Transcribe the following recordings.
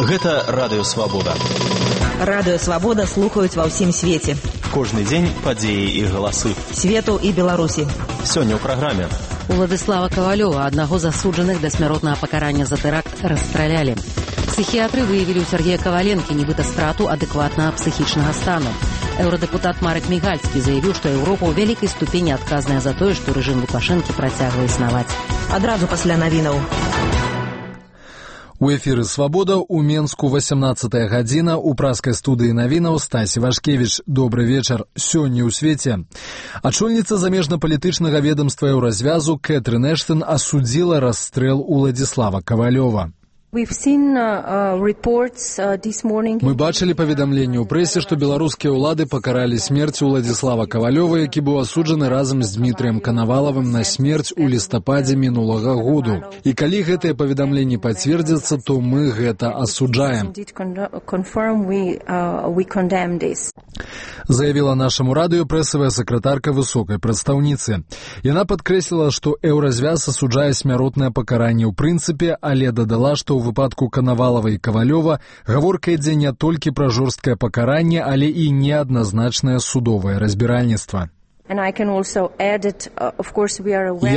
Гэта Радыё Свабода. Радыё Свабода слухаюць ва ўсім свеце. Кожны дзень падзеі і галасы. Свету і Беларусі. Сёння ў праграме. Уладзіслава Кавалёва, аднаго з асуджаных да смяротнага пакарання за тэракт, расстралялі. Псіхіятры выявілі ў Сергея Каваленкі нібыта страту адэкватнага псіхічнага стану. Еўрадэпутат Марек Мігальскі заявіў, што Еўропа ў вялікай ступені адказная за тое, што рэжым Лукашэнкі працягвае існаваць. Адразу пасля навінаў. У эфіры «Свабода» у Менску 18-я гадзіна. У праскай студыі навінаў Стасі Вашкевіч. Добры вечар. Сёння ў свеце. Ачольніца замежна-палітычнага ведамства Еўразвязу Кэтрын Эштон асудзіла расстрэл Уладзіслава Кавалёва. Мы бачылі паведамленне ў прэсе, што беларускія ўлады пакаралі смерць Уладзіслава Кавалёва, які быў асуджаны разам з Дмітрыем Канавалавым на смерць у лістападзе мінулага году. І калі гэтае паведамленне пацвердзіцца, то мы гэта асуджаем. Заявіла нашаму радыё прэсавая сакратарка высокай прадстаўніцы. Яна падкрэсліла, што Еўразвяз асуджае смяротнае пакаранне ў прынцыпе, але дадала, што у выпадку Канавалава і Кавалёва гаворка ідзе не толькі пра жорсткае пакаранне, але і неадназначнае судовае разбіральніцтва. Я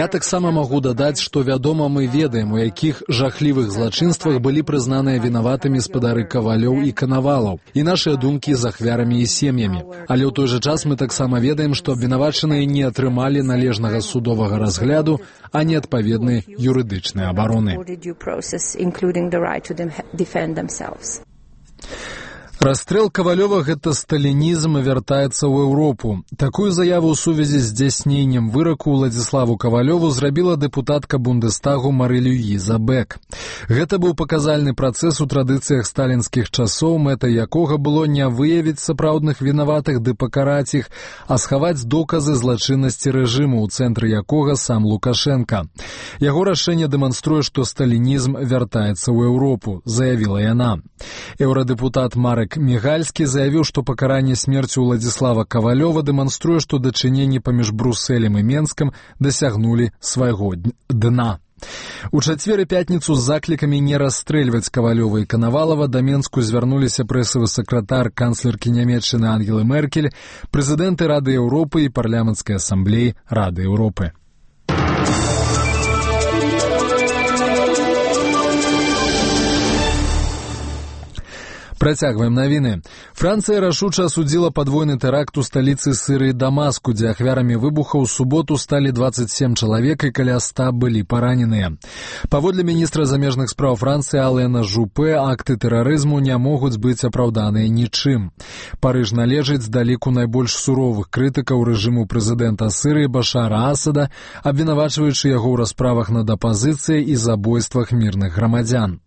таксама магу дадаць, што вядома, мы ведаем, у якіх жахлівых злачынствах былі прызнаныя вінаватымі спадары Кавалёў і Канавалаў, і нашыя думкі з ахвярамі і сем'ямі. Але ў той жа час мы таксама ведаем, што абвінавачаныя не атрымалі належнага судовага разгляду, а не адпаведнай юрыдычнай абароны. Расстрэл Кавалёва – гэта сталінізм і вяртаецца ў Еўропу. Такую заяву ў сувязі з здзяйсненнем выраку Уладзіславу Кавалёву зрабіла дэпутатка Бундестагу Мары-Люіза Бек. Гэта быў паказальны працэс у традыцыях сталінскіх часоў, мэтай якога было не выявіць сапраўдных вінаватых ды пакараць іх, а схаваць доказы злачыннасці рэжыму, у цэнтры якога сам Лукашенка. Яго рашэнне дэманструе, што сталінізм вяртаецца ў Еўропу, заявіла яна. Еўрадэпутат Марек Мігальскі заявіў, што пакаранне смерцю Уладзіслава Кавалёва дэманструе, што дачыненні паміж Брусэлем і Менскам дасягнулі свайго дна. У чацвер і пятніцу з заклікамі не расстрэльваць Кавалёва і Канавалава да Менску звярнуліся прэсавы сакратар канцлеркі Нямецчыны Ангелы Меркель, прэзідэнты Рады Еўропы і парламенцкай асамблеі Рады Еўропы. Працягваем навіны. Францыя рашуча асудзіла падвойны тэракт у сталіцы Сірыі Дамаску, дзе ахвярамі выбуха ў суботу сталі 27 чалавек і каля 100 былі параненыя. Паводле міністра замежных спраў Францыі Алена Жупе, акты тэрарызму не могуць быць апраўданыя нічым. Парыж належыць да ліку найбольш суровых крытыкаў рэжыму прэзідэнта Сірыі Башара Асада, абвінавачваючы яго ў расправах над апазіцыяй і забойствах мірных грамадзян.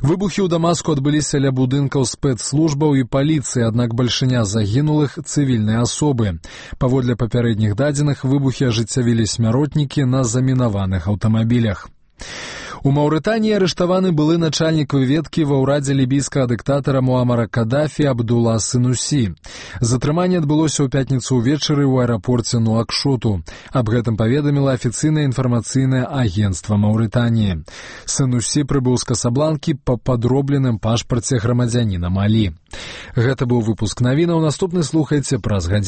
Выбухі ў Дамаску адбыліся ля будынкаў спецслужбаў і паліцыі, аднак бальшыня загінулых цывільныя асобы. Паводле папярэдніх дадзеных, выбухі ажыццявілі смяротнікі на замінаваных аўтамабілях. У Маўрытаніі арыштаваны былы начальнік выведкі ва ўрадзе лібійскага дыктатара Муамара Кадафі Абдула Сынусі. Затрыманне адбылося ў пятніцу ўвечары ў аэрапорце Нуакшоту. Аб гэтым паведаміла афіцыйнае інфармацыйнае агенцтва Маўрытаніі. Сынусі прыбыў з Касабланкі па падробленым пашпарце грамадзяніна Малі. Гэта быў выпуск навінаў. Наступны слухайце праз гадзіну.